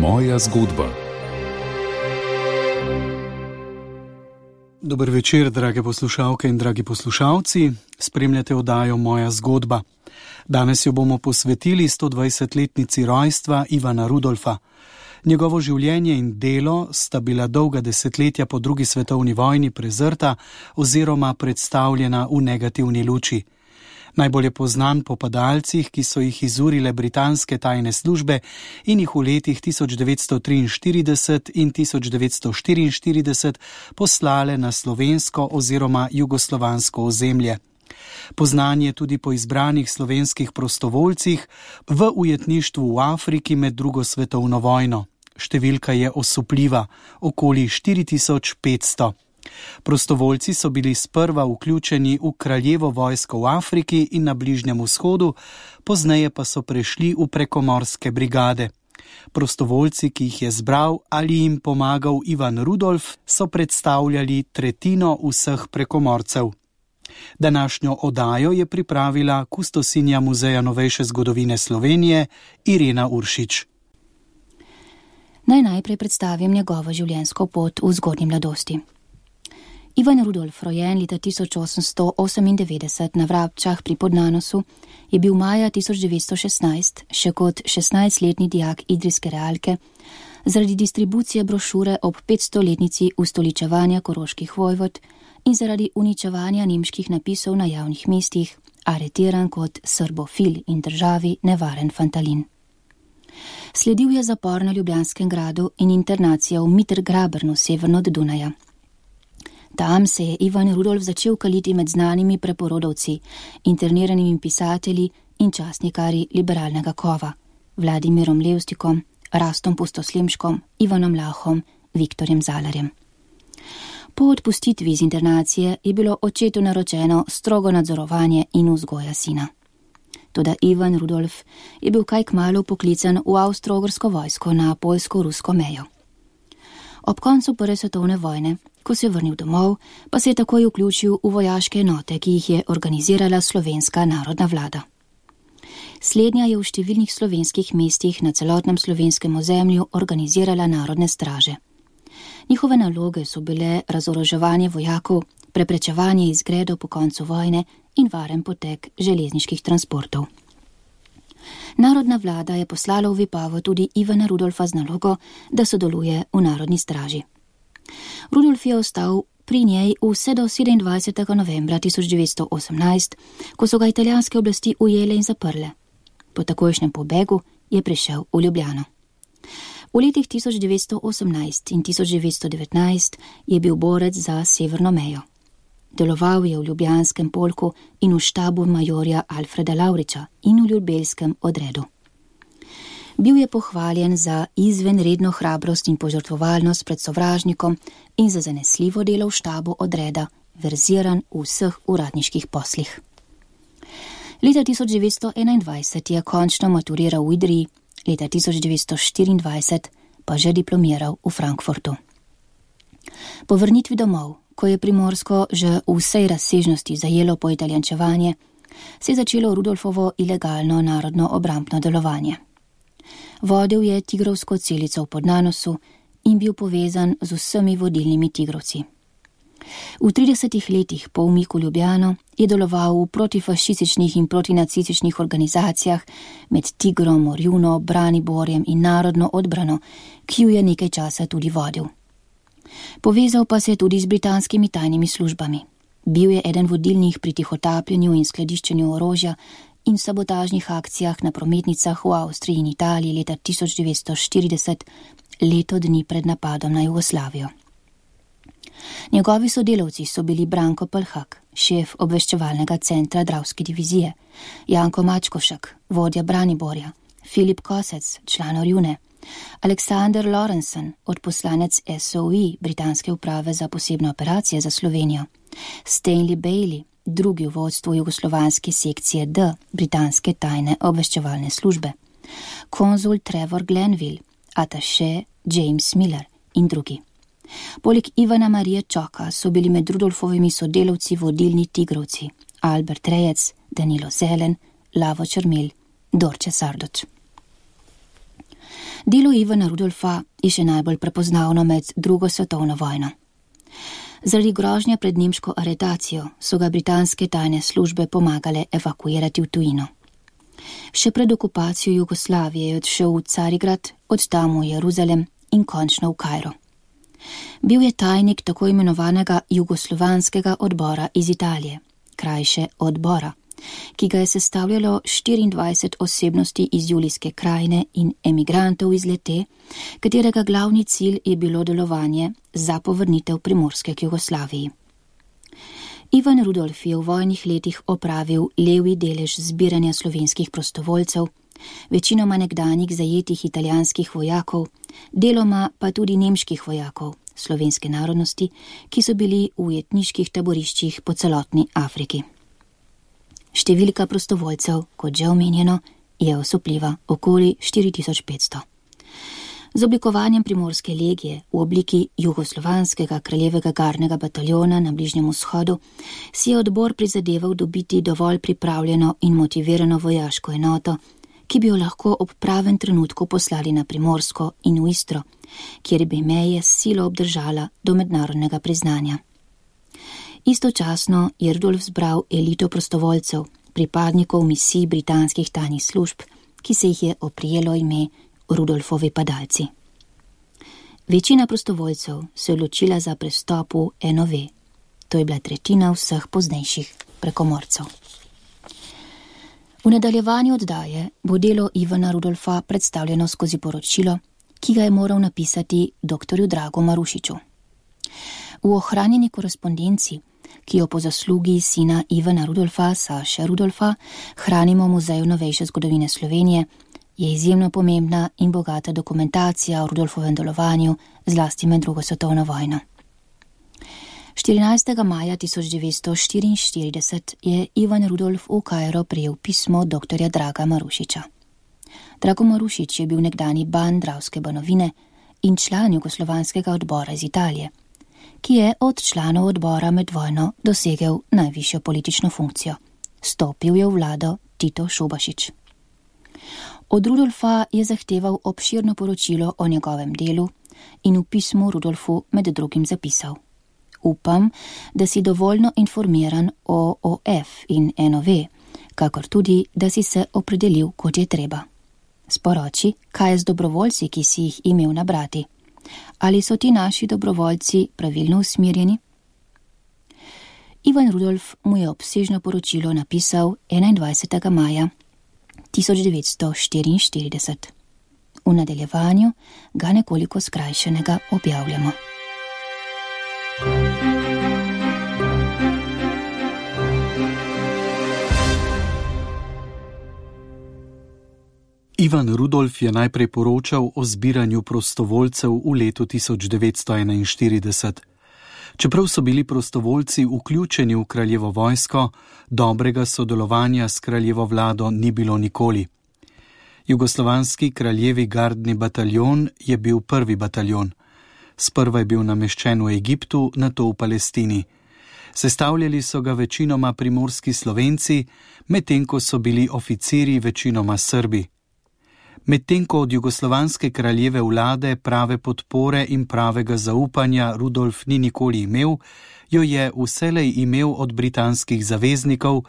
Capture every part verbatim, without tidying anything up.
Moja zgodba. Dober večer, drage poslušalke in dragi poslušalci. Spremljate oddajo Moja zgodba. Danes jo bomo posvetili sto dvajsetletnici rojstva Ivana Rudolfa. Njegovo življenje in delo sta bila dolga desetletja po drugi svetovni vojni prezrta oziroma predstavljena v negativni luči. Najbolj je poznan po padalcih, ki so jih izurile britanske tajne službe in jih v letih tisoč devetsto triinštirideset in tisoč devetsto štiriinštirideset poslale na slovensko oziroma jugoslovansko ozemlje. Poznan je tudi po izbranih slovenskih prostovoljcih v ujetništvu v Afriki med drugo svetovno vojno. Številka je osupljiva, okoli štiri tisoč petsto. Prostovoljci so bili sprva vključeni v kraljevo vojsko v Afriki in na Bližnjem vzhodu, pozneje pa so prešli v prekomorske brigade. Prostovoljci, ki jih je zbral ali jim pomagal Ivan Rudolf, so predstavljali tretjino vseh prekomorcev. Današnjo oddajo je pripravila kustosinja Muzeja novejše zgodovine Slovenije Irena Uršič. Naj najprej predstavim njegovo življenjsko pot v zgodnji mladosti. Ivan Rudolf, rojen leta tisoč osemsto osemindevetdeset na Vrabčah pri Podnanosu, je bil maja tisoč devetsto šestnajst še kot šestnajstletni dijak idrijske realke zaradi distribucije brošure ob petstoletnici ustoličevanja koroških vojvod in zaradi uničevanja nemških napisov na javnih mestih aretiran kot srbofil in državi nevaren fantalin. Sledil je zapor na Ljubljanskem gradu in internacija v Mittergrabernu severno od Dunaja. Tam se je Ivan Rudolf začel kaliti med znanimi preporodovci, interniranimi pisatelji in časnikarji liberalnega kova, Vladimirom Levstikom, Rastom Pustoslemškom, Ivanom Lahom, Viktorjem Zalarjem. Po odpustitvi iz internacije je bilo očetu naročeno strogo nadzorovanje in vzgoja sina. Toda Ivan Rudolf je bil kaj kmalu poklican v avstro-ogrsko vojsko na poljsko-rusko mejo. Ob koncu prve svetovne vojne, ko se je vrnil domov, pa se je takoj vključil v vojaške enote, ki jih je organizirala slovenska narodna vlada. Slednja je v številnih slovenskih mestih na celotnem slovenskem ozemlju organizirala narodne straže. Njihove naloge so bile razoroževanje vojakov, preprečevanje izgredov po koncu vojne in varen potek železniških transportov. Narodna vlada je poslala v Vipavo tudi Ivana Rudolfa z nalogo, da sodeluje v narodni straži. Rudolf je ostal pri njej vse do sedemindvajsetega novembra tisoč devetsto osemnajst, ko so ga italijanske oblasti ujele in zaprle. Po takojšnjem pobegu je prišel v Ljubljano. V letih tisoč devetsto osemnajst in tisoč devetsto devetnajst je bil borec za severno mejo. Deloval je v ljubljanskem polku in v štabu majorja Alfreda Lavriča in v ljubelskem odredu. Bil je pohvaljen za izvenredno hrabrost in požrtvovalnost pred sovražnikom in za zanesljivo delo v štabu odreda, verziran v vseh uradniških poslih. Leta tisoč devetsto enaindvajset je končno maturiral v Idriji, leta tisoč devetsto štiriindvajset pa že diplomiral v Frankfurtu. Po vrnitvi domov, ko je Primorsko že v vsej razsežnosti zajelo poitalijančevanje, se je začelo Rudolfovo ilegalno narodno obrambno delovanje. Vodil je tigrovsko celico v Podnanosu in bil povezan z vsemi vodilnimi tigrovci. V tridesetih letih po umiku Ljubljano je deloval v protifašističnih in protinacističnih organizacijah med Tigrom, Orjuno, Braniborjem in Narodno odbrano, ki jo je nekaj časa tudi vodil. Povezal pa se je tudi z britanskimi tajnimi službami. Bil je eden vodilnih pri tihotapljenju in skladiščenju orožja in sabotažnih akcijah na prometnicah v Avstriji in Italiji leta tisoč devetsto štirideset, leto dni pred napadom na Jugoslavijo. Njegovi sodelavci so bili Branko Pelhak, šef obveščevalnega centra Dravske divizije, Janko Mačkošek, vodja Braniborja, Filip Kosec, član Orjune, Aleksander Lorensen, odposlanec S O E, britanske uprave za posebne operacije za Slovenijo, Stanley Bailey, drugi v vodstvu jugoslovanske sekcije D, britanske tajne obveščevalne službe, konzul Trevor Glenville, ataše James Miller in drugi. Poleg Ivana Marije Čoka so bili med Rudolfovimi sodelavci vodilni tigrovci Albert Rejec, Danilo Zelen, Lavo Črmel, Dorče Sardoč. Delo Ivana Rudolfa je še najbolj prepoznavno med drugo svetovno vojno. Zaradi grožnja pred nemško aretacijo so ga britanske tajne službe pomagale evakuirati v tujino. Še pred okupacijo Jugoslavije je odšel v Carigrad, od tam v Jeruzalem in končno v Kairo. Bil je tajnik tako imenovanega jugoslovanskega odbora iz Italije, krajše odbora, ki ga je sestavljalo štiriindvajset osebnosti iz Julijske krajine in emigrantov iz Lete, katerega glavni cilj je bilo delovanje za povrnitev Primorske k Jugoslaviji. Ivan Rudolf je v vojnih letih opravil levi delež zbiranja slovenskih prostovoljcev, večinoma nekdanjih zajetih italijanskih vojakov, deloma pa tudi nemških vojakov slovenske narodnosti, ki so bili v ujetniških taboriščih po celotni Afriki. Številka prostovoljcev, kot že omenjeno, je osupljiva, okoli štiri tisoč petsto. Z oblikovanjem Primorske legije v obliki jugoslovanskega kraljevega gardnega bataljona na Bližnjem vzhodu si je odbor prizadeval dobiti dovolj pripravljeno in motivirano vojaško enoto, ki bi jo lahko ob pravem trenutku poslali na Primorsko in v Istro, kjer bi meje s silo obdržala do mednarodnega priznanja. Istočasno je Rudolf zbral elito prostovoljcev, pripadnikov misij britanskih tajnih služb, ki se jih je oprijelo ime Rudolfovi padalci. Večina prostovoljcev se je odločila za prestop v N O V. To je bila tretjina vseh poznejših prekomorcev. V nadaljevanju oddaje bo delo Ivana Rudolfa predstavljeno skozi poročilo, ki ga je moral napisati doktorju Dragu Marušiču. V ohranjeni korespondenci, ki jo po zaslugi sina Ivana Rudolfa, Saše Rudolfa, hranimo v Muzeju novejše zgodovine Slovenije, je izjemno pomembna in bogata dokumentacija o Rudolfovem delovanju, zlasti med drugo svetovno vojno. štirinajstega maja tisoč devetsto štiriinštirideset je Ivan Rudolf v Kairo prejel pismo doktorja Draga Marušiča. Drago Marušič je bil nekdani ban Dravske banovine in član jugoslovanskega odbora iz Italije, ki je od članov odbora med vojno dosegel najvišjo politično funkcijo. Stopil je v vlado Tito Šubašić. Od Rudolfa je zahteval obširno poročilo o njegovem delu in v pismu Rudolfu med drugim zapisal: Upam, da si dovoljno informiran o O F in N O V, kakor tudi, da si se opredelil, kot je treba. Sporoči, kaj je z dobrovoljci, ki si jih imel nabrati. Ali so ti naši dobrovoljci pravilno usmerjeni? Ivan Rudolf mu je obsežno poročilo napisal enaindvajsetega maja tisoč devetsto štiriinštirideset. V nadaljevanju ga nekoliko skrajšanega objavljamo. Ivan Rudolf je najprej poročal o zbiranju prostovoljcev v letu tisoč devetsto enainštirideset. Čeprav so bili prostovoljci vključeni v kraljevo vojsko, dobrega sodelovanja s kraljevo vlado ni bilo nikoli. Jugoslovanski kraljevi gardni bataljon je bil prvi bataljon. Sprva je bil nameščen v Egiptu, nato v Palestini. Sestavljali so ga večinoma primorski Slovenci, medtem ko so bili oficiri večinoma Srbi. Medtem ko od jugoslovanske kraljeve vlade prave podpore in pravega zaupanja Rudolf ni nikoli imel, jo je vselej imel od britanskih zaveznikov,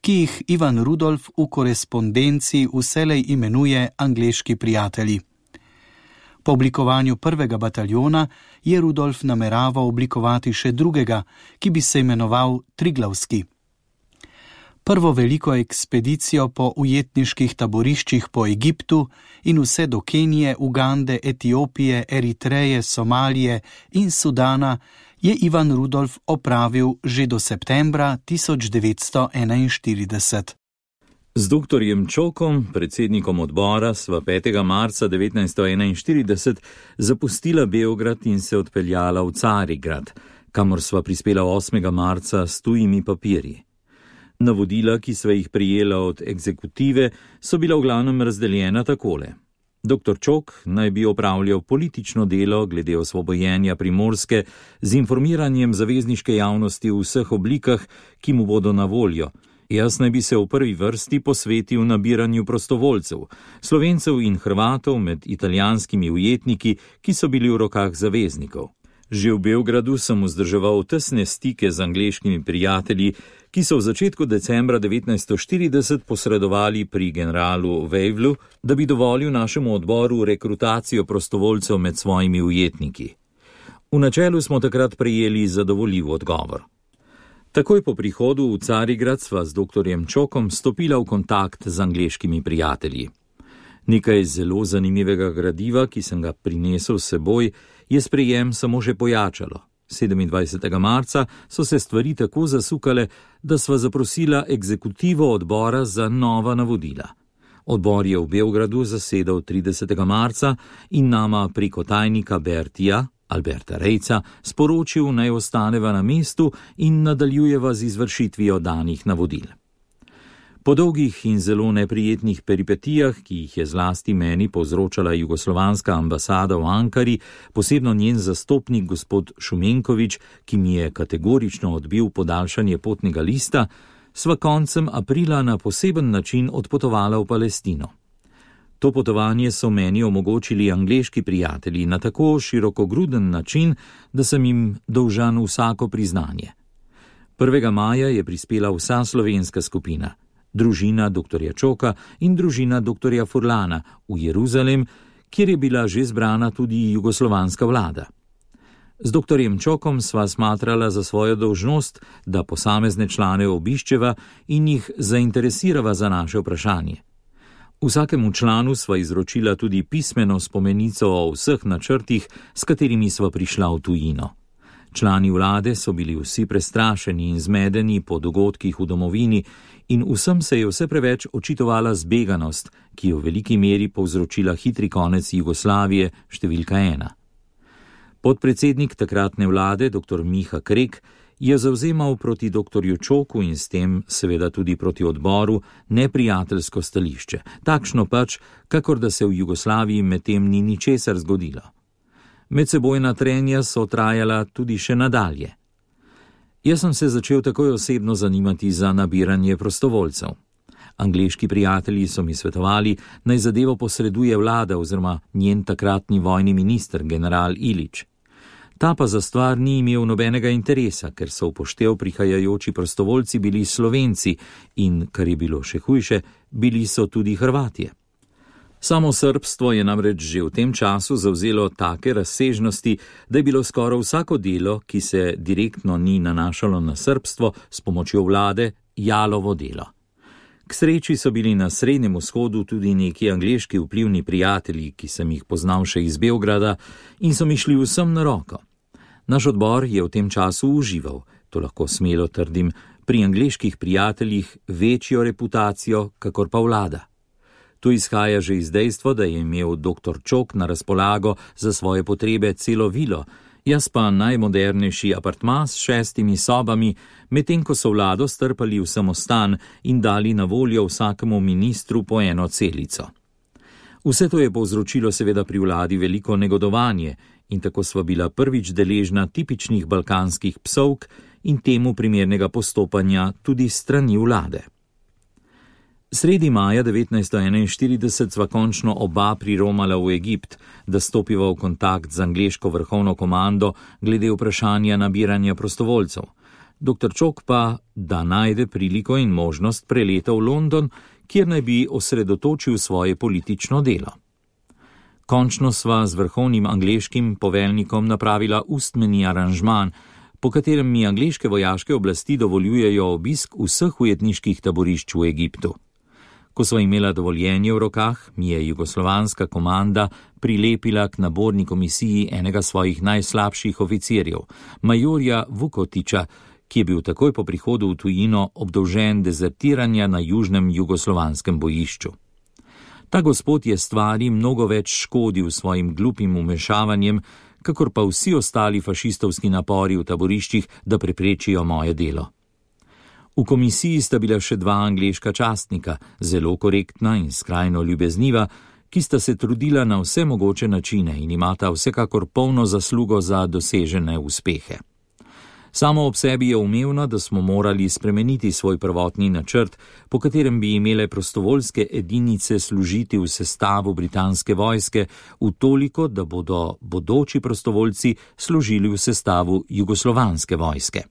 ki jih Ivan Rudolf v korespondenci vselej imenuje angleški prijatelji. Po oblikovanju prvega bataljona je Rudolf nameraval oblikovati še drugega, ki bi se imenoval Triglavski. Prvo veliko ekspedicijo po ujetniških taboriščih po Egiptu in vse do Kenije, Ugande, Etiopije, Eritreje, Somalije in Sudana je Ivan Rudolf opravil že do septembra tisoč devetsto enainštirideset. Z doktorjem Čokom, predsednikom odbora, sva petega marca devetnajststo enainštirideset zapustila Beograd in se odpeljala v Carigrad, kamor sva prispela osmega marca s tujimi papirji. Navodila, ki sva jih prijela od egzekutive, so bila v glavnem razdeljena takole. Doktor Čok naj bi opravljal politično delo glede osvobojenja Primorske z informiranjem zavezniške javnosti v vseh oblikah, ki mu bodo na voljo, Jaz naj bi se v prvi vrsti posvetil nabiranju prostovoljcev, Slovencev in Hrvatov med italijanskimi ujetniki, ki so bili v rokah zaveznikov. Že v Beogradu sem vzdrževal tesne stike z angleškimi prijatelji, ki so v začetku decembra devetnajststo štirideset posredovali pri generalu Wavelu, da bi dovolil našemu odboru rekrutacijo prostovoljcev med svojimi ujetniki. V načelu smo takrat prejeli zadovoljiv odgovor. Takoj po prihodu v Carigrad sva z doktorjem Čokom stopila v kontakt z angleškimi prijatelji. Nekaj zelo zanimivega gradiva, ki sem ga prinesel s seboj, je sprejem samo še pojačalo. sedemindvajsetega marca so se stvari tako zasukale, da sva zaprosila ekzekutivo odbora za nova navodila. Odbor je v Beogradu zasedal tridesetega marca in nama preko tajnika Bertija, Alberta Rejca, sporočil, naj ostaneva na mestu in nadaljujeva z izvršitvijo danih navodil. Po dolgih in zelo neprijetnih peripetijah, ki jih je zlasti meni povzročala jugoslovanska ambasada v Ankari, posebno njen zastopnik gospod Šumenkovič, ki mi je kategorično odbil podaljšanje potnega lista, sva koncem aprila na poseben način odpotovala v Palestino. To potovanje so meni omogočili angleški prijatelji na tako širokogruden način, da sem jim dolžan vsako priznanje. prvega maja je prispela vsa slovenska skupina, družina doktorja Čoka in družina doktorja Furlana v Jeruzalem, kjer je bila že zbrana tudi jugoslovanska vlada. Z doktorjem Čokom sva smatrala za svojo dolžnost, da posamezne člane obiščeva in jih zainteresirava za naše vprašanje. Vsakemu članu sva izročila tudi pismeno spomenico o vseh načrtih, s katerimi sva prišla v tujino. Člani vlade so bili vsi prestrašeni in zmedeni po dogodkih v domovini in vsem se je vse preveč očitovala zbeganost, ki je v veliki meri povzročila hitri konec Jugoslavije številka ena. Podpredsednik takratne vlade, dr. Miha Krek, je zavzemal proti doktorju Čoku in s tem seveda tudi proti odboru neprijateljsko stališče, takšno pač, kakor da se v Jugoslaviji medtem ni ničesar zgodilo. Medsebojna trenja so trajala tudi še nadalje. Jaz sem se začel takoj osebno zanimati za nabiranje prostovoljcev. Angleški prijatelji so mi svetovali, naj zadevo posreduje vlada oziroma njen takratni vojni minister, general Ilić. Ta pa za stvar ni imel nobenega interesa, ker so upoštev prihajajoči prostovoljci bili Slovenci in, kar je bilo še hujše, bili so tudi Hrvatje. Samo srbstvo je namreč že v tem času zavzelo take razsežnosti, da je bilo skoraj vsako delo, ki se direktno ni nanašalo na srbstvo, s pomočjo vlade jalovo delo. K sreči so bili na Srednjem vzhodu tudi neki angleški vplivni prijatelji, ki sem jih poznal še iz Beograda in so mi šli vsem na roko. Naš odbor je v tem času užival, to lahko smelo trdim, pri angleških prijateljih večjo reputacijo, kakor pa vlada. To izhaja že iz dejstva, da je imel doktor Čok na razpolago za svoje potrebe celo vilo, jaz pa najmodernejši apartma s šestimi sobami, medtem ko so vlado strpali v samostan in dali na voljo vsakemu ministru po eno celico. Vse to je povzročilo seveda pri vladi veliko negodovanje in tako sva bila prvič deležna tipičnih balkanskih psovk in temu primernega postopanja tudi strani vlade. Sredi maja devetnajststo enainštirideset sva končno oba priromala v Egipt, da stopiva v kontakt z angleško vrhovno komando glede vprašanja nabiranja prostovoljcev. Doktor Čok pa, da najde priliko in možnost, preleta v London, kjer naj bi osredotočil svoje politično delo. Končno sva z vrhovnim angleškim poveljnikom napravila ustmeni aranžman, po katerem mi angleške vojaške oblasti dovoljujejo obisk vseh ujetniških taborišč v Egiptu. Ko sva imela dovoljenje v rokah, mi je jugoslovanska komanda prilepila k naborni komisiji enega svojih najslabših oficirjev, majorja Vukotiča, ki je bil takoj po prihodu v tujino obdolžen dezertiranja na južnem jugoslovanskem bojišču. Ta gospod je stvari mnogo več škodil svojim glupim umešavanjem, kakor pa vsi ostali fašistovski napori v taboriščih, da preprečijo moje delo. V komisiji sta bila še dva angleška častnika, zelo korektna in skrajno ljubezniva, ki sta se trudila na vse mogoče načine in imata vsekakor polno zaslugo za dosežene uspehe. Samo ob sebi je umevno, da smo morali spremeniti svoj prvotni načrt, po katerem bi imele prostovoljske edinice služiti v sestavu britanske vojske, v toliko, da bodo bodoči prostovoljci služili v sestavu jugoslovanske vojske.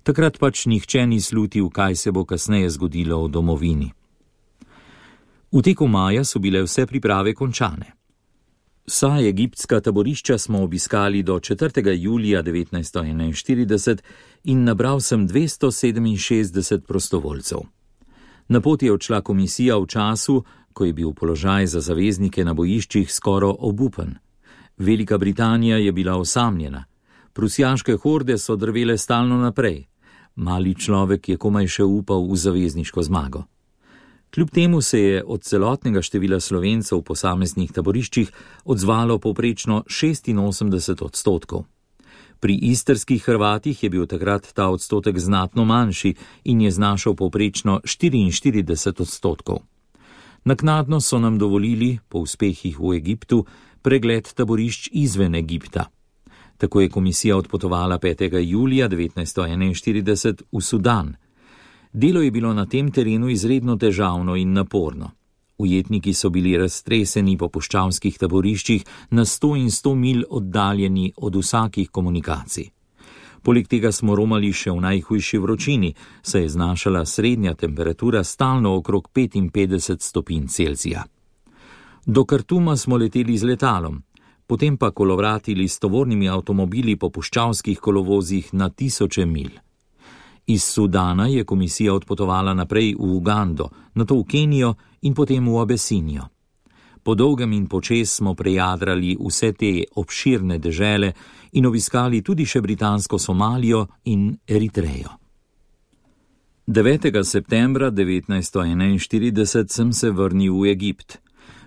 Takrat pač nihče ni slutil, kaj se bo kasneje zgodilo v domovini. V teku maja so bile vse priprave končane. Vsa egiptska taborišča smo obiskali do četrtega julija devetnajststo enainštirideset in nabral sem dvesto sedeminšestdeset prostovoljcev. Na pot je odšla komisija v času, ko je bil položaj za zaveznike na bojiščih skoraj obupen. Velika Britanija je bila osamljena. Prusijaške horde so drvele stalno naprej. Mali človek je komaj še upal v zavezniško zmago. Kljub temu se je od celotnega števila Slovencev v posameznih taboriščih odzvalo povprečno šestinosemdeset odstotkov. Pri istrskih Hrvatih je bil takrat ta odstotek znatno manjši in je znašal povprečno štiriinštirideset odstotkov. Naknadno so nam dovolili, po uspehih v Egiptu, pregled taborišč izven Egipta. Tako je komisija odpotovala petega julija devetnajststo enainštirideset v Sudan. Delo je bilo na tem terenu izredno težavno in naporno. Ujetniki so bili raztreseni po puščavskih taboriščih na sto in sto milj oddaljeni od vsakih komunikacij. Poleg tega smo romali še v najhujši vročini, saj je znašala srednja temperatura stalno okrog petinpetdeset stopinj Celzija. Do Kartuma smo leteli z letalom, potem pa kolovratili s tovornimi avtomobili po puščavskih kolovozih na tisoče milj. Iz Sudana je komisija odpotovala naprej v Ugando, nato v Kenijo in potem v Abesinijo. Po dolgem in počez smo prejadrali vse te obširne dežele in obiskali tudi še britansko Somalijo in Eritrejo. devetega septembra devetnajststo enainštirideset sem se vrnil v Egipt.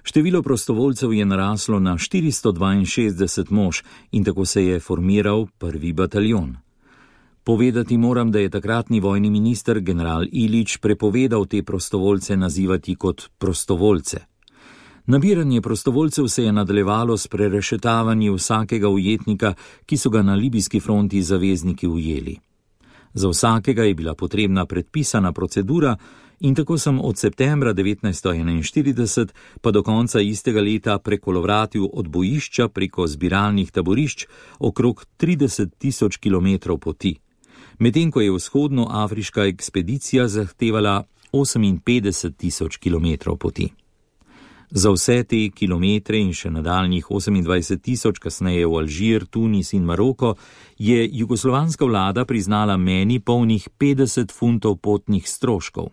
Število prostovoljcev je naraslo na štiristo dvainšestdeset mož in tako se je formiral prvi bataljon. Povedati moram, da je takratni vojni minister general Ilić prepovedal te prostovoljce nazivati kot prostovoljce. Nabiranje prostovoljcev se je nadaljevalo s prerešetavanjem vsakega ujetnika, ki so ga na libijski fronti zavezniki ujeli. Za vsakega je bila potrebna predpisana procedura in tako sem od septembra devetnajststo enainštirideset pa do konca istega leta prekolovratil od bojišča preko zbiralnih taborišč okrog trideset tisoč kilometrov poti, medtem ko je vzhodnoafriška ekspedicija zahtevala oseminpetdeset tisoč kilometrov poti. Za vse te kilometre in še nadaljnjih osemindvajset tisoč kasneje v Alžir, Tunis in Maroko je jugoslovanska vlada priznala meni polnih petdeset funtov potnih stroškov,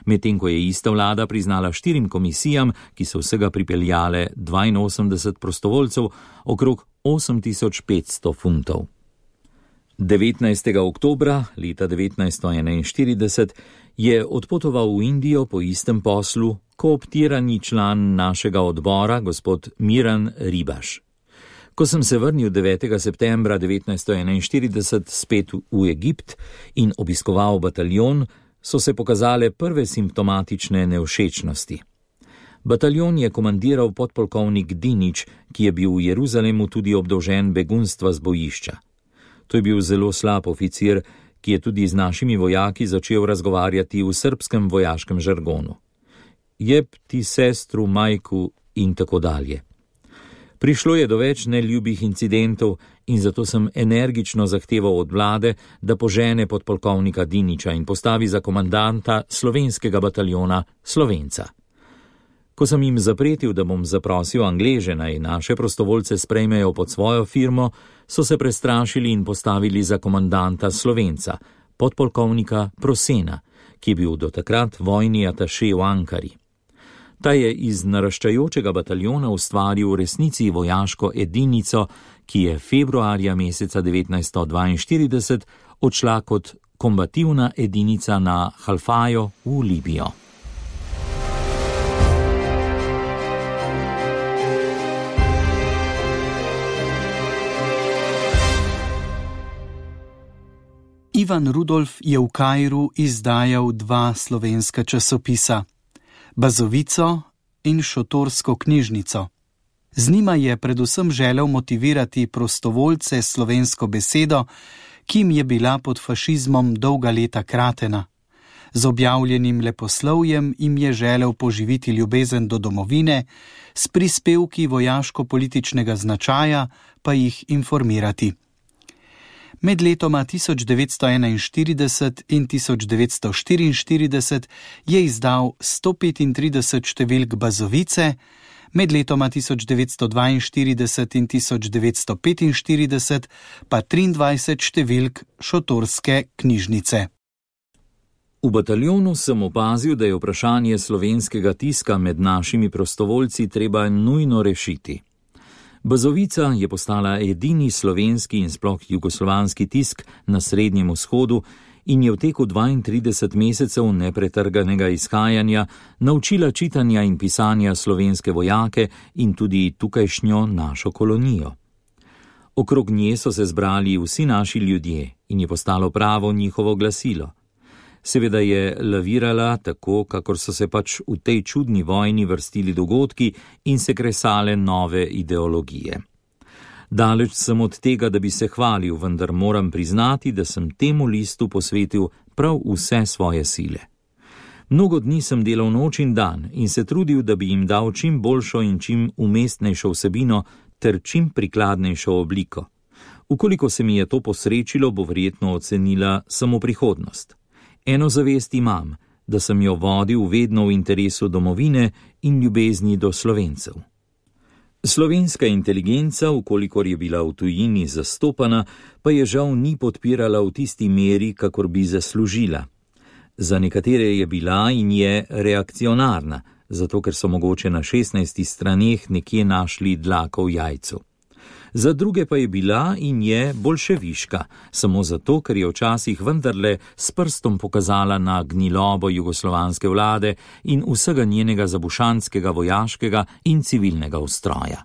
medtem ko je ista vlada priznala štirim komisijam, ki so vsega pripeljale dvainosemdeset prostovoljcev, okrog osem tisoč petsto funtov. devetnajstega oktobra leta devetnajststo enainštirideset je odpotoval v Indijo po istem poslu kooptirani član našega odbora, gospod Miran Ribaš. Ko sem se vrnil devetega septembra devetnajststo enainštirideset spet v Egipt in obiskoval bataljon, so se pokazale prve simptomatične nevšečnosti. Bataljon je komandiral podpolkovnik Dinič, ki je bil v Jeruzalemu tudi obdolžen begunstva z bojišča. To je bil zelo slab oficir, ki je tudi z našimi vojaki začel razgovarjati v srbskem vojaškem žargonu. Jeb ti sestru, majku in tako dalje. Prišlo je do več neljubih incidentov in zato sem energično zahteval od vlade, da požene podpolkovnika Diniča in postavi za komandanta slovenskega bataljona Slovenca. Ko sem jim zapretil, da bom zaprosil Angleže naj naše prostovoljce sprejmejo pod svojo firmo, so se prestrašili in postavili za komandanta Slovenca, podpolkovnika Prosena, ki je bil do takrat vojni ataše v Ankari. Ta je iz naraščajočega bataljona ustvaril v resnici vojaško edinico, ki je februarja meseca devetnajststo dvainštirideset odšla kot kombativna edinica na Halfajo v Libijo. Ivan Rudolf je v Kairu izdajal dva slovenska časopisa, Bazovico in Šotorsko knjižnico. Z njima je predvsem želel motivirati prostovoljce s slovensko besedo, kim je bila pod fašizmom dolga leta kratena. Z objavljenim leposlovjem jim je želel poživiti ljubezen do domovine, s prispevki vojaško-političnega značaja pa jih informirati. Med letoma tisoč devetsto enainštirideset in tisoč devetsto štiriinštirideset je izdal sto petintrideset številk Bazovice, med letoma tisoč devetsto dvainštirideset in tisoč devetsto petinštirideset pa triindvajset številk Šotorske knjižnice. V bataljonu sem opazil, da je vprašanje slovenskega tiska med našimi prostovoljci treba nujno rešiti. Bazovica je postala edini slovenski in sploh jugoslovanski tisk na Srednjem vzhodu in je v teku dvaintrideset mesecev nepretrganega izhajanja naučila čitanja in pisanja slovenske vojake in tudi tukajšnjo našo kolonijo. Okrog nje so se zbrali vsi naši ljudje in je postalo pravo njihovo glasilo. Seveda je lavirala tako, kakor so se pač v tej čudni vojni vrstili dogodki in se kresale nove ideologije. Daleč sem od tega, da bi se hvalil, vendar moram priznati, da sem temu listu posvetil prav vse svoje sile. Mnogo dni sem delal noč in dan in se trudil, da bi jim dal čim boljšo in čim umestnejšo vsebino ter čim prikladnejšo obliko. Ukoliko se mi je to posrečilo, bo verjetno ocenila samo prihodnost. Eno zavest imam, da sem jo vodil vedno v interesu domovine in ljubezni do Slovencev. Slovenska inteligenca, ukolikor je bila v tujini zastopana, pa je žal ni podpirala v tisti meri, kakor bi zaslužila. Za nekatere je bila in je reakcionarna, zato ker so mogoče na šestnajstih straneh nekje našli dlako v jajcu. Za druge pa je bila in je boljševiška, samo zato, ker je včasih vendarle s prstom pokazala na gnilobo jugoslovanske vlade in vsega njenega zabušanskega vojaškega in civilnega ustroja.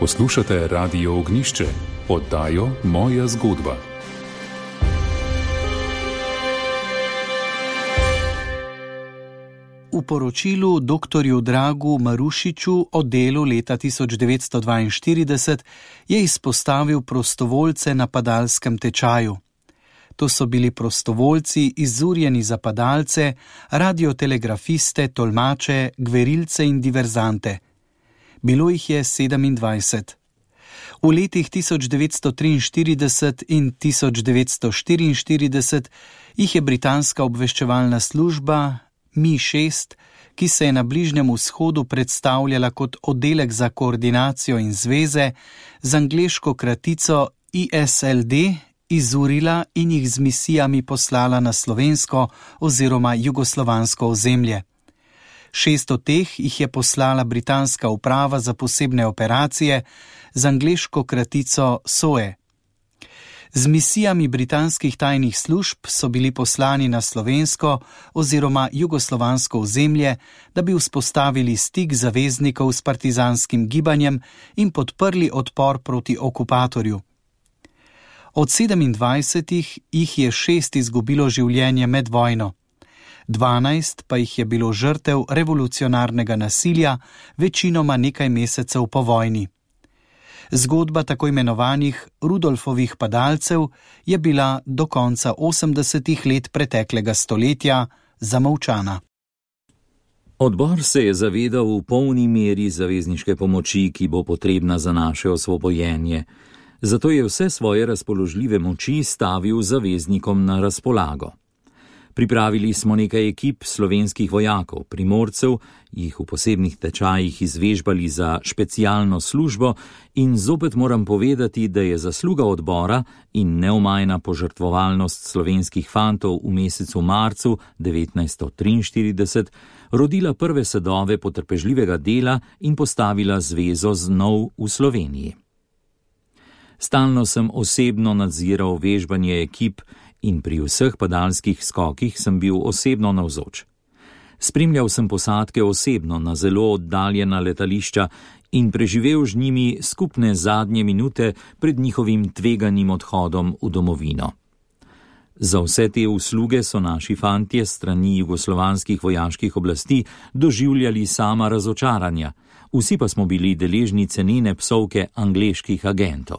Poslušate Radio Ognjišče, oddajo Moja zgodba. V poročilu doktorju Dragu Marušiču o delu leta tisoč devetsto dvainštirideset je izpostavil prostovoljce na padalskem tečaju. To so bili prostovoljci, izurjeni za padalce, radiotelegrafiste, tolmače, gverilce in diverzante. Bilo jih je sedemindvajset. V letih tisoč devetsto triinštirideset in tisoč devetsto štiriinštirideset jih je britanska obveščevalna služba M I šest, ki se je na Bližnjem vzhodu predstavljala kot oddelek za koordinacijo in zveze, z angleško kratico I S L D, izurila in jih z misijami poslala na slovensko oziroma jugoslovansko ozemlje. Šest od teh jih je poslala britanska uprava za posebne operacije z angleško kratico S O E. Z misijami britanskih tajnih služb so bili poslani na slovensko oziroma jugoslovansko ozemlje, da bi vzpostavili stik zaveznikov s partizanskim gibanjem in podprli odpor proti okupatorju. Od sedemindvajsetih jih je šest izgubilo življenje med vojno. dvanajst pa jih je bilo žrtev revolucionarnega nasilja, večinoma nekaj mesecev po vojni. Zgodba tako imenovanih Rudolfovih padalcev je bila do konca osemdesetih let preteklega stoletja zamolčana. Odbor se je zavedal v polni meri zavezniške pomoči, ki bo potrebna za naše osvobojenje. Zato je vse svoje razpoložljive moči stavil zaveznikom na razpolago. Pripravili smo nekaj ekip slovenskih vojakov, primorcev, jih v posebnih tečajih izvežbali za specialno službo in zopet moram povedati, da je zasluga odbora in neomajna požrtvovalnost slovenskih fantov v mesecu marcu devetnajststo triinštirideset rodila prve sadove potrpežljivega dela in postavila zvezo znov v Sloveniji. Stalno sem osebno nadziral vežbanje ekip in pri vseh padalskih skokih sem bil osebno navzoč. Spremljal sem posadke osebno na zelo oddaljena letališča in preživel z njimi skupne zadnje minute pred njihovim tveganim odhodom v domovino. Za vse te usluge so naši fantje strani jugoslovanskih vojaških oblasti doživljali sama razočaranja, vsi pa smo bili deležni cenene psovke angleških agentov.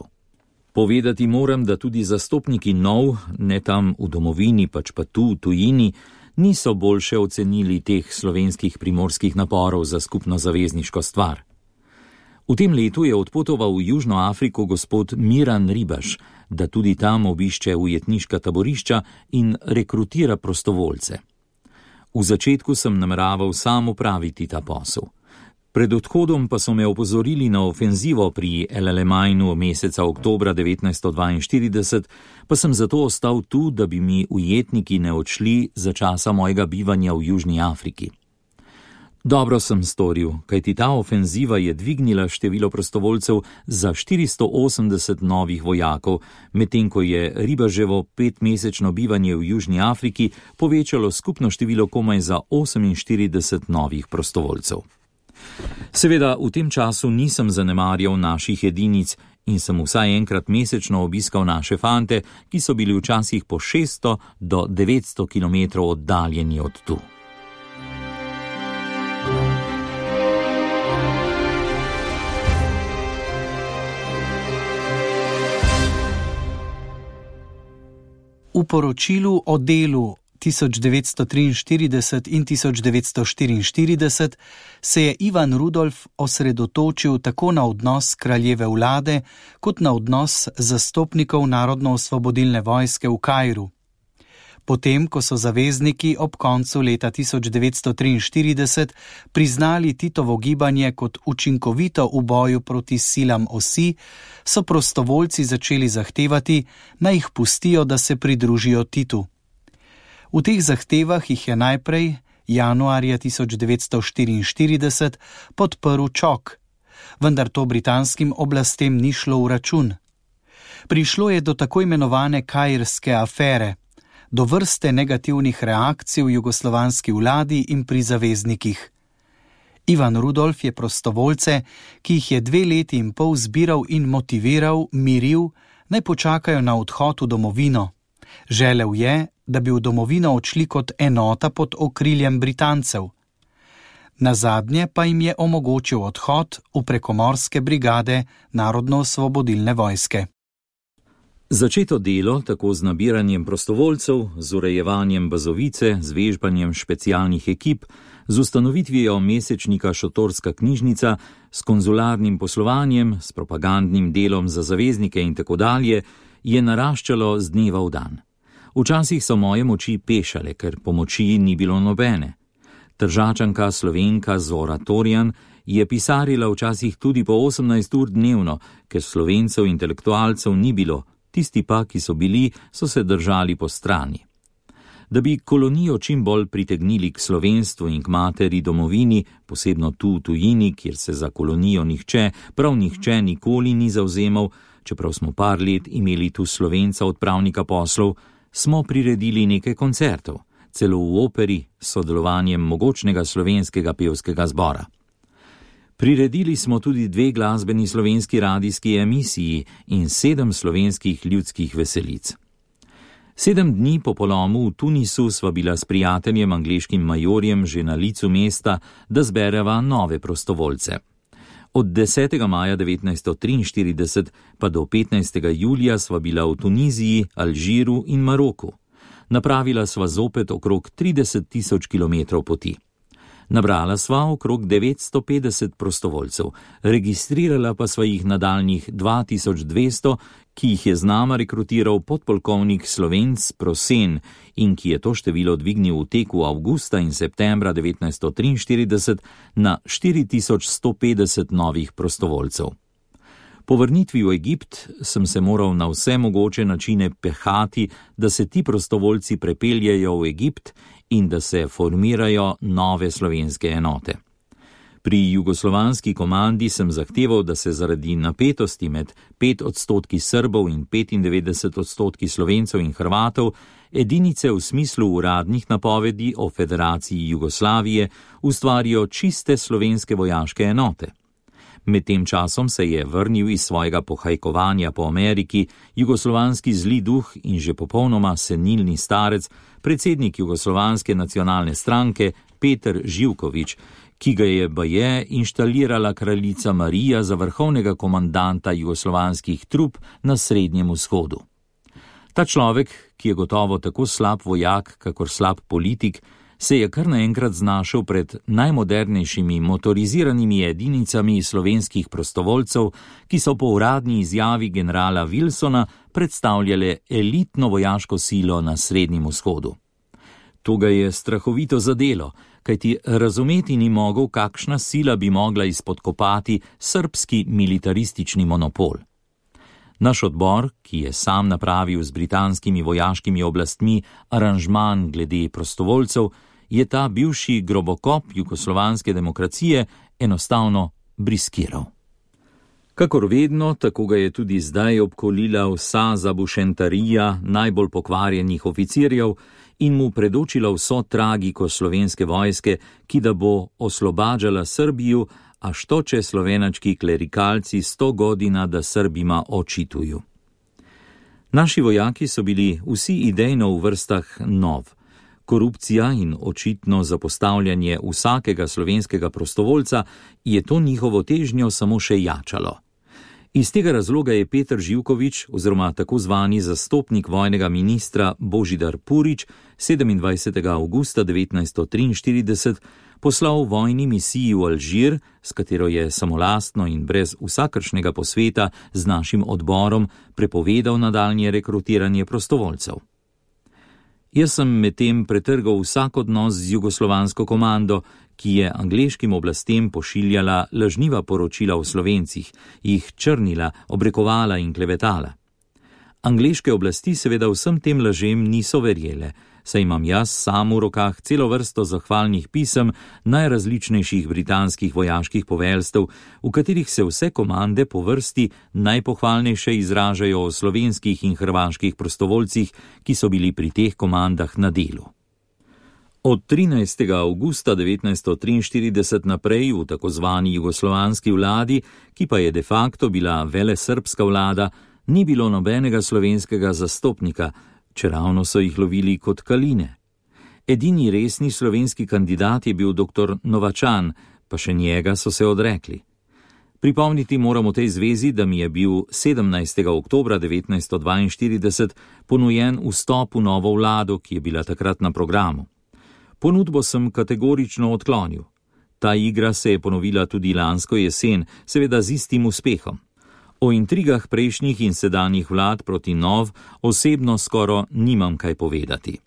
Povedati moram, da tudi zastopniki nov, ne tam v domovini, pač pa tu v tujini, niso boljše ocenili teh slovenskih primorskih naporov za skupno zavezniško stvar. V tem letu je odpotoval v Južno Afriko gospod Miran Ribaš, da tudi tam obišče ujetniška taborišča in rekrutira prostovoljce. V začetku sem nameraval sam opraviti ta posel. Pred odhodom pa so me opozorili na ofenzivo pri El Alemajnu meseca oktobra devetnajststo dvainštirideset, pa sem zato ostal tu, da bi mi ujetniki ne odšli za časa mojega bivanja v Južni Afriki. Dobro sem storil, kajti ta ofenziva je dvignila število prostovoljcev za štiristo osemdeset novih vojakov, medtem ko je Ribaževo petmesečno bivanje v Južni Afriki povečalo skupno število komaj za oseminštirideset novih prostovoljcev. Seveda v tem času nisem zanemarjal naših edinic in sem vsaj enkrat mesečno obiskal naše fante, ki so bili včasih po šeststo do devetsto kilometrov oddaljeni od tu. V poročilu o delu tisoč devetsto triinštirideset in tisoč devetsto štiriinštirideset se je Ivan Rudolf osredotočil tako na odnos kraljeve vlade kot na odnos zastopnikov Narodno-osvobodilne vojske v Kairu. Potem, ko so zavezniki ob koncu leta tisoč devetsto triinštirideset priznali Titovo gibanje kot učinkovito v boju proti silam osi, so prostovoljci začeli zahtevati, naj jih pustijo, da se pridružijo Titu. V teh zahtevah jih je najprej, januarja tisoč devetsto štiriinštirideset, podprl Čok, vendar to britanskim oblastem ni šlo v račun. Prišlo je do tako imenovane kairske afere, do vrste negativnih reakcij v jugoslovanski vladi in pri zaveznikih. Ivan Rudolf je prostovoljce, ki jih je dve leti in pol zbiral in motiviral, miril, naj počakajo na odhod v domovino. Želel je, da bi v domovino odšli kot enota pod okriljem Britancev. Nazadnje pa jim je omogočil odhod v prekomorske brigade Narodno-osvobodilne vojske. Začeto delo, tako z nabiranjem prostovoljcev, z urejevanjem bazovice, z vežbanjem specialnih ekip, z ustanovitvijo mesečnika Šotorska knjižnica, s konzularnim poslovanjem, s propagandnim delom za zaveznike in tako dalje, je naraščalo z dneva v dan. Včasih so moje moči pešale, ker pomoči ni bilo nobene. Tržačanka Slovenka Zora Torjan je pisarila včasih tudi po osemnajst ur dnevno, ker Slovencev intelektualcev ni bilo, tisti pa, ki so bili, so se držali po strani. Da bi kolonijo čim bolj pritegnili k slovenstvu in k materi domovini, posebno tu v tujini, kjer se za kolonijo nihče, prav nihče nikoli ni zavzemal, čeprav smo par let imeli tu Slovenca odpravnika poslov, smo priredili nekaj koncertov, celo v operi s sodelovanjem mogočnega slovenskega pevskega zbora. Priredili smo tudi dve glasbeni slovenski radijski emisiji in sedem slovenskih ljudskih veselic. Sedem dni po polomu v Tunisu sva bila s prijateljem angleškim majorjem že na licu mesta, da zbereva nove prostovoljce. Od desetega maja devetnajststo triinštirideset pa do petnajstega julija sva bila v Tuniziji, Alžiru in Maroku. Napravila sva zopet okrog trideset tisoč kilometrov poti. Nabrala sva okrog devetsto petdeset prostovoljcev, registrirala pa sva jih nadaljnjih dva tisoč dvesto, ki jih je z nama rekrutiral podpolkovnik Slovenc Prosen in ki je to število dvignil v teku avgusta in septembra devetnajststo triinštirideset na štiri tisoč sto petdeset novih prostovoljcev. Po vrnitvi v Egipt sem se moral na vse mogoče načine pehati, da se ti prostovoljci prepeljejo v Egipt in da se formirajo nove slovenske enote. Pri jugoslovanski komandi sem zahteval, da se zaradi napetosti med pet odstotki Srbov in petindevetdeset odstotki Slovencev in Hrvatov edinice v smislu uradnih napovedi o Federaciji Jugoslavije ustvarijo čiste slovenske vojaške enote. Med tem časom se je vrnil iz svojega pohajkovanja po Ameriki jugoslovanski zli duh in že popolnoma senilni starec, predsednik Jugoslovanske nacionalne stranke Peter Živković, ki ga je baje inštalirala kraljica Marija za vrhovnega komandanta jugoslovanskih trup na Srednjem vzhodu. Ta človek, ki je gotovo tako slab vojak, kakor slab politik, se je kar naenkrat znašel pred najmodernejšimi motoriziranimi edinicami slovenskih prostovoljcev, ki so po uradni izjavi generala Wilsona predstavljale elitno vojaško silo na Srednjem vzhodu. To ga je strahovito zadelo, kajti razumeti ni mogel, kakšna sila bi mogla izpodkopati srbski militaristični monopol. Naš odbor, ki je sam napravil z britanskimi vojaškimi oblastmi aranžman glede prostovoljcev, je ta bivši grobokop jugoslovanske demokracije enostavno briskiral. Kakor vedno, tako ga je tudi zdaj obkolila vsa zabušentarija najbolj pokvarjenih oficirjev in mu predočila vso tragiko slovenske vojske, ki da bo oslobađala Srbiju, a što će slovenački klerikalci sto godina da Srbima očituju. Naši vojaki so bili vsi idejno v vrstah nov. Korupcija in očitno zapostavljanje vsakega slovenskega prostovoljca je to njihovo težnjo samo še jačalo. Iz tega razloga je Peter Živković, oziroma tako zvani zastopnik vojnega ministra Božidar Purič, sedemindvajsetega avgusta devetnajststo triinštirideset poslal vojni misiji v Alžir, s katero je samolastno in brez vsakršnega posveta z našim odborom prepovedal nadaljnje rekrutiranje prostovoljcev. Jaz sem medtem pretrgal vsak odnos z jugoslovansko komando, ki je angleškim oblastem pošiljala lažniva poročila o Slovencih, jih črnila, obrekovala in klevetala. Angleške oblasti seveda vsem tem lažem niso verjele, saj imam jaz sam v rokah celo vrsto zahvalnih pisem najrazličnejših britanskih vojaških poveljstev, v katerih se vse komande po vrsti najpohvalnejše izražajo o slovenskih in hrvaških prostovoljcih, ki so bili pri teh komandah na delu. Od trinajstega avgusta devetnajststo triinštirideset naprej v tako zvani jugoslovanski vladi, ki pa je de facto bila velesrbska vlada, ni bilo nobenega slovenskega zastopnika, čeravno so jih lovili kot kaline. Edini resni slovenski kandidat je bil doktor Novačan, pa še njega so se odrekli. Pripomniti moramo tej zvezi, da mi je bil sedemnajstega oktobra devetnajststo dvainštirideset ponujen vstop v novo vlado, ki je bila takrat na programu. Ponudbo sem kategorično odklonil. Ta igra se je ponovila tudi lansko jesen, seveda z istim uspehom. O intrigah prejšnjih in sedanjih vlad proti nov osebno skoro nimam kaj povedati.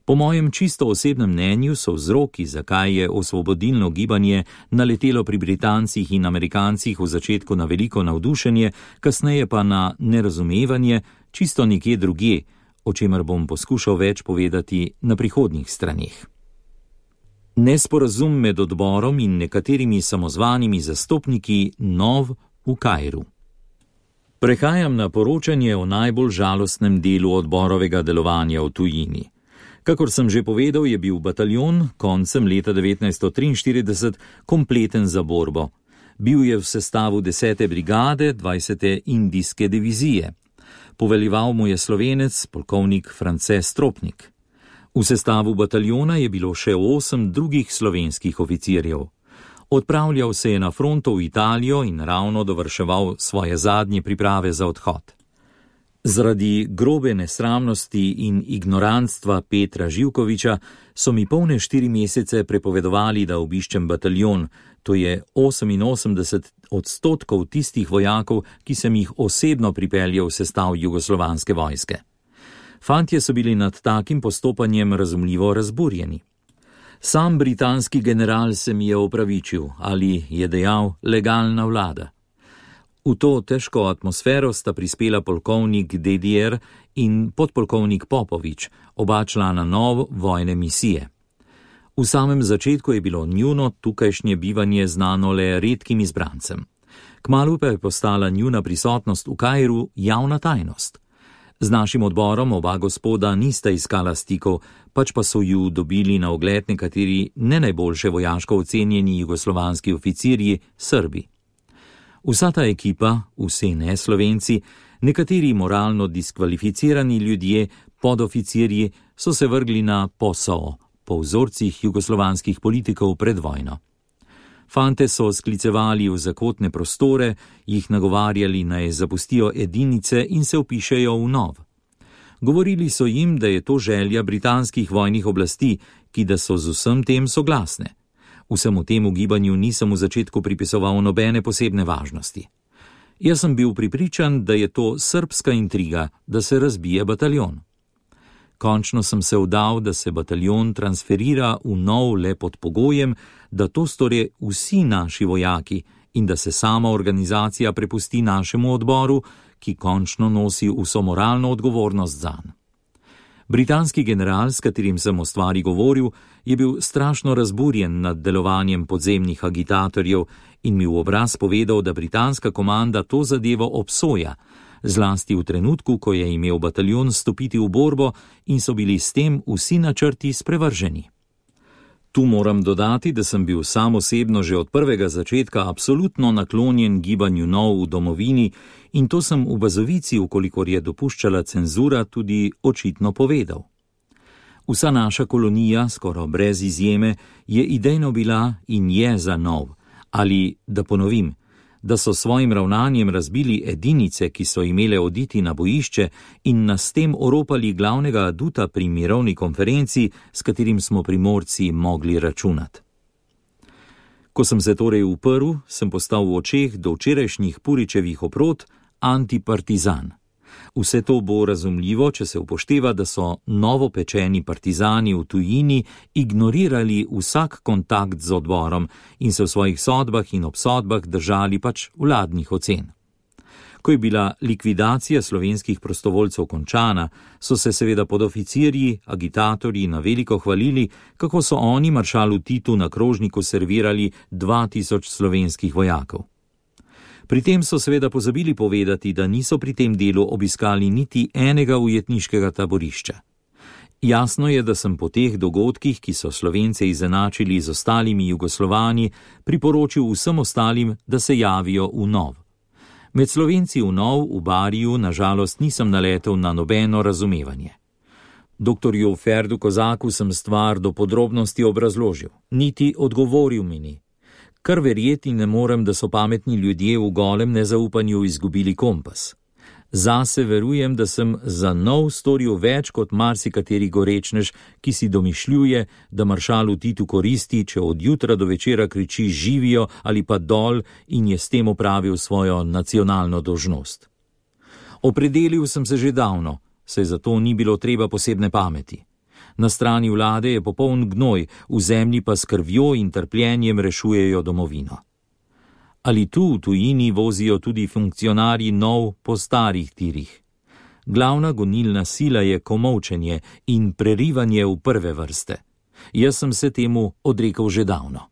Po mojem čisto osebnem mnenju so vzroki, zakaj je osvobodilno gibanje naletelo pri Britancih in Amerikancih v začetku na veliko navdušenje, kasneje pa na nerazumevanje, čisto nekje drugje, o čemer bom poskušal več povedati na prihodnjih straneh. Nesporazum med odborom in nekaterimi samozvanimi zastopniki nov v Kairu. Prehajam na poročanje o najbolj žalostnem delu odborovega delovanja v tujini. Kakor sem že povedal, je bil bataljon koncem leta devetnajststo triinštirideset kompleten za borbo. Bil je v sestavu desete brigade dvajsete indijske divizije. Poveljeval mu je Slovenec, polkovnik France Stropnik. V sestavu bataljona je bilo še osem drugih slovenskih oficirjev. Odpravljal se je na fronto v Italijo in ravno dovrševal svoje zadnje priprave za odhod. Zaradi grobe nesramnosti in ignorantstva Petra Živkovića so mi polne štiri mesece prepovedovali, da obiščem bataljon, to je oseminosemdeset odstotkov tistih vojakov, ki sem jih osebno pripeljal v sestav jugoslovanske vojske. Fantje so bili nad takim postopanjem razumljivo razburjeni. Sam britanski general se mi je opravičil, ali je dejal legalna vlada. V to težko atmosfero sta prispela polkovnik Dedijer in podpolkovnik Popovič, oba člana nov vojne misije. V samem začetku je bilo njuno tukajšnje bivanje znano le redkim izbrancem. Kmalu pa je postala njuna prisotnost v Kairu javna tajnost. Z našim odborom oba gospoda nista iskala stikov, pač pa so ju dobili na ogled nekateri ne najboljše vojaško ocenjeni jugoslovanski oficirji Srbi. Vsa ta ekipa, vsi neslovenci, nekateri moralno diskvalificirani ljudje, podoficirji, so se vrgli na P O S O, po vzorcih jugoslovanskih politikov pred vojno. Fante so sklicevali v zakotne prostore, jih nagovarjali naj zapustijo edinice in se vpišejo v nov. Govorili so jim, da je to želja britanskih vojnih oblasti, ki da so z vsem tem soglasne. Vsemu temu gibanju nisem v začetku pripisoval nobene posebne važnosti. Jaz sem bil prepričan, da je to srbska intriga, da se razbije bataljon. Končno sem se vdal, da se bataljon transferira v nov le pod pogojem, da to storijo vsi naši vojaki in da se sama organizacija prepusti našemu odboru, ki končno nosi vso moralno odgovornost zanj. Britanski general, s katerim sem o stvari govoril, je bil strašno razburjen nad delovanjem podzemnih agitatorjev in mi v obraz povedal, da britanska komanda to zadevo obsoja, zlasti v trenutku, ko je imel bataljon stopiti v borbo in so bili s tem vsi načrti sprevrženi. Tu moram dodati, da sem bil sam osebno že od prvega začetka absolutno naklonjen gibanju nov v domovini in to sem v Bazovici, ukolikor je dopuščala cenzura, tudi očitno povedal. Vsa naša kolonija, skoraj brez izjeme, je idejno bila in je za nov, ali, da ponovim, da so svojim ravnanjem razbili edinice, ki so imele oditi na bojišče in nas s tem oropali glavnega aduta pri mirovni konferenci, s katerim smo Primorci mogli računati. Ko sem se torej uprl, sem postal v očeh do včerajšnjih Puričevih oprod antipartizan. Vse to bo razumljivo, če se upošteva, da so novopečeni partizani v tujini ignorirali vsak kontakt z odborom in se v svojih sodbah in obsodbah držali pač vladnih ocen. Ko je bila likvidacija slovenskih prostovoljcev končana, so se seveda podoficirji, agitatorji na veliko hvalili, kako so oni maršalu Titu na krožniku servirali dva tisoč slovenskih vojakov. Pri tem so seveda pozabili povedati, da niso pri tem delu obiskali niti enega ujetniškega taborišča. Jasno je, da sem po teh dogodkih, ki so Slovence izenačili z ostalimi Jugoslovani, priporočil vsem ostalim, da se javijo v nov. Med Slovenci v nov v Bariju nažalost nisem naletel na nobeno razumevanje. Doktorju Ferdu Kozaku sem stvar do podrobnosti obrazložil, niti odgovoril mi ni. Kar verjeti ne morem, da so pametni ljudje v golem nezaupanju izgubili kompas. Zase verujem, da sem za nov storil več kot marsikateri gorečnež, ki si domišljuje, da maršalu Titu koristi, če od jutra do večera kriči živijo ali pa dol in je s tem opravil svojo nacionalno dolžnost. Opredelil sem se že davno, saj zato ni bilo treba posebne pameti. Na strani vlade je popoln gnoj, v zemlji pa s krvjo in trpljenjem rešujejo domovino. Ali tu v tujini vozijo tudi funkcionarji nov po starih tirih? Glavna gonilna sila je komolčenje in prerivanje v prve vrste. Jaz sem se temu odrekel že davno.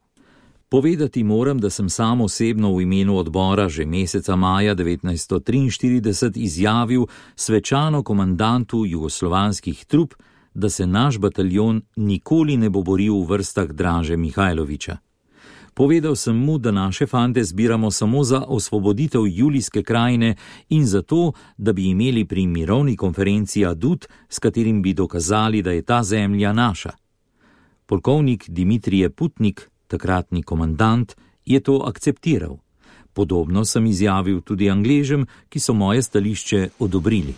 Povedati moram, da sem sam osebno v imenu odbora že meseca maja devetnajststo triinštirideset izjavil svečano komandantu jugoslovanskih trup, da se naš bataljon nikoli ne bo boril v vrstah Draže Mihajlovića. Povedal sem mu, da naše fante zbiramo samo za osvoboditev Julijske krajine in zato, da bi imeli pri mirovni konferenci adut, s katerim bi dokazali, da je ta zemlja naša. Polkovnik Dimitrije Putnik, takratni komandant, je to akceptiral. Podobno sem izjavil tudi Angležem, ki so moje stališče odobrili.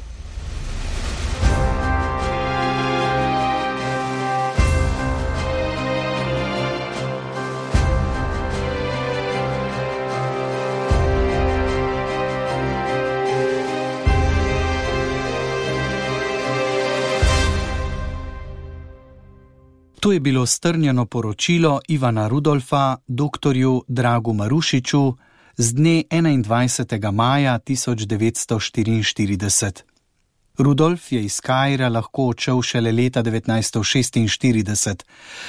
To je bilo strnjeno poročilo Ivana Rudolfa doktorju Dragu Marušiču z dne enaindvajsetega maja tisoč devetsto štiriinštirideset. Rudolf je iz Kaira lahko odšel šele leta devetnajststo šestinštirideset.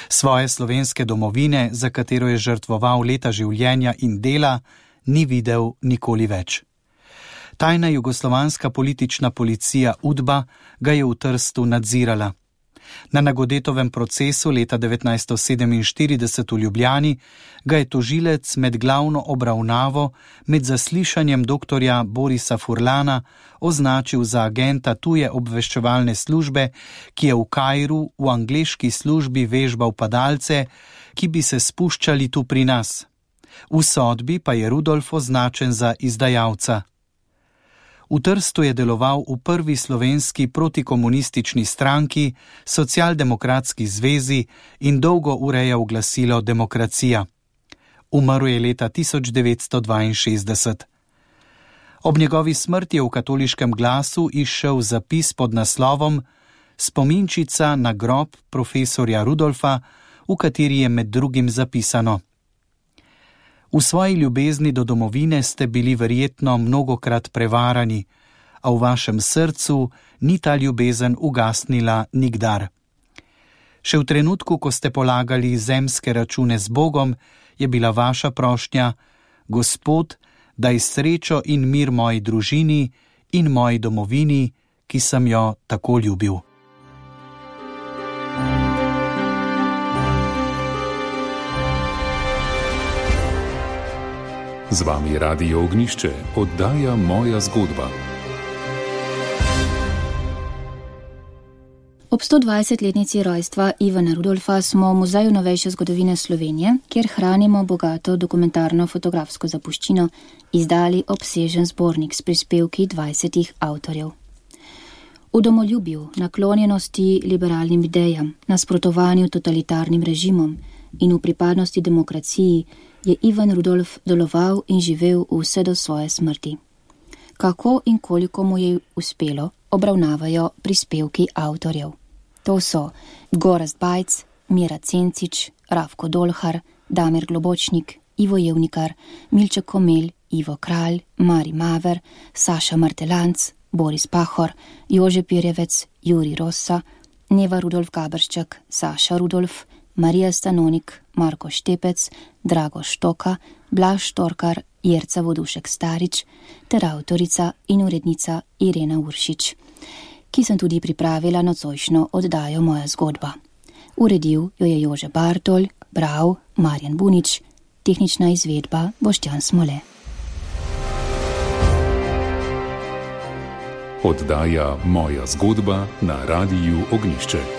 Svoje slovenske domovine, za katero je žrtvoval leta življenja in dela, ni videl nikoli več. Tajna jugoslovanska politična policija UDBA ga je v Trstu nadzirala. Na Nagodetovem procesu leta devetnajststo sedeminštirideset v Ljubljani ga je tožilec med glavno obravnavo med zaslišanjem doktorja Borisa Furlana označil za agenta tuje obveščevalne službe, ki je v Kairu v angleški službi vežbal padalce, ki bi se spuščali tu pri nas. V sodbi pa je Rudolf označen za izdajalca. V Trstu je deloval v prvi slovenski protikomunistični stranki, Socialdemokratski zvezi in dolgo urejal glasilo Demokracija. Umrl je leta tisoč devetsto dvainšestdeset. Ob njegovi smrti je v Katoliškem glasu izšel zapis pod naslovom Spominčica na grob profesorja Rudolfa, v kateri je med drugim zapisano: V svoji ljubezni do domovine ste bili verjetno mnogokrat prevarani, a v vašem srcu ni ta ljubezen ugasnila nikdar. Še v trenutku, ko ste polagali zemske račune z Bogom, je bila vaša prošnja: Gospod, daj srečo in mir moji družini in moji domovini, ki sem jo tako ljubil. Z vami Radio Ognjišče, oddaja Moja zgodba. Ob sto dvajsetletnici rojstva Ivana Rudolfa smo v Muzeju novejše zgodovine Slovenije, kjer hranimo bogato dokumentarno fotografsko zapuščino, izdali obsežen zbornik s prispevki dvajsetih avtorjev. V domoljubju, naklonjenosti liberalnim idejam, nasprotovanju totalitarnim režimom in v pripadnosti demokraciji je Ivan Rudolf deloval in živel vse do svoje smrti. Kako in koliko mu je uspelo, obravnavajo prispevki avtorjev. To so Gorazd Bajc, Mira Cencič, Ravko Dolhar, Damir Globočnik, Ivo Jevnikar, Milček Komelj, Ivo Kralj, Mari Maver, Saša Martelanc, Boris Pahor, Jože Pirjevec, Juri Rossa, Neva Rudolf Gaberščak, Saša Rudolf, Marija Stanonik, Marko Štepec, Drago Štoka, Blaž Štorkar, Jerca Vodušek Starič ter avtorica in urednica Irena Uršič, ki sem tudi pripravila nocojšnjo oddajo Moja zgodba. Uredil jo je Jože Bartol, bral Marjan Bunič, tehnična izvedba Boštjan Smole. Oddaja Moja zgodba na Radiu Ognjišče.